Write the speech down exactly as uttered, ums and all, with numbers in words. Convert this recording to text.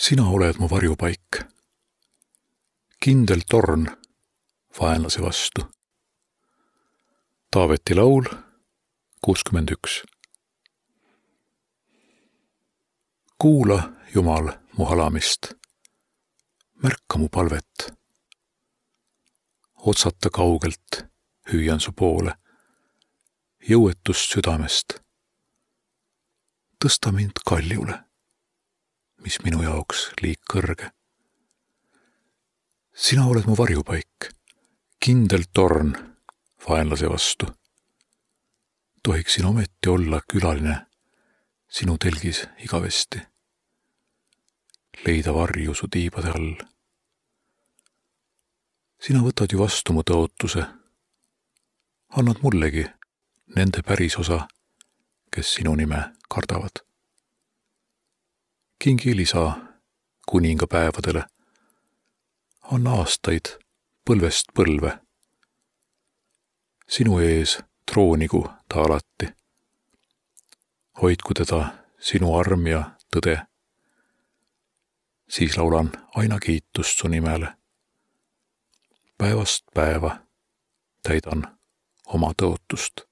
Sina oled mu varjupaik, kindel torn vaenlase vastu. Taaveti laul kuuskümmend üks. Kuula, Jumal, mu halamist, märka mu palvet. Otsata kaugelt hüüan su poole, jõuetust südamest. Tõsta mind kaljule, mis minu jaoks liig kõrge. Sina oled mu varjupaik, kindel torn vaenlase vastu. Tohiksin ometi olla külaline sinu telgis igavesti. Leida varju su tiibade all. Sina võtad ju vastu mu tõotuse. Annad mullegi nende pärisosa, kes sinu nime kardavad. Kingi lisa kuninga päevadele. Anna aastaid põlvest põlve. Sinu ees troonigu ta alati. Hoidku teda sinu arm ja tõde. Siis laulan aina kiitust su nimele. Päevast päeva täidan oma tõotust.